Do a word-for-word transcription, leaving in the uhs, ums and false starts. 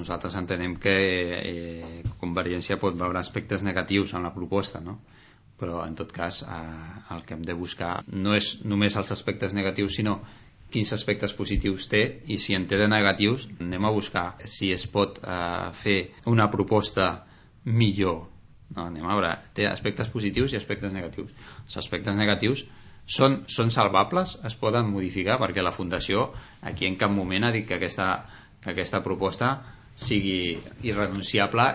Nosaltres entenem que eh, Convergència pot veure aspectes negatius en la proposta, no? Però en tot cas eh, el que hem de buscar no és només els aspectes negatius, sinó quins aspectes positius té, i si en té de negatius anem a buscar si es pot eh, fer una proposta millor. No, anem a veure, té aspectes positius i aspectes negatius. Els aspectes negatius són, són salvables, es poden modificar, perquè la Fundació aquí en cap moment ha dit que aquesta, que aquesta proposta sigui irrenunciable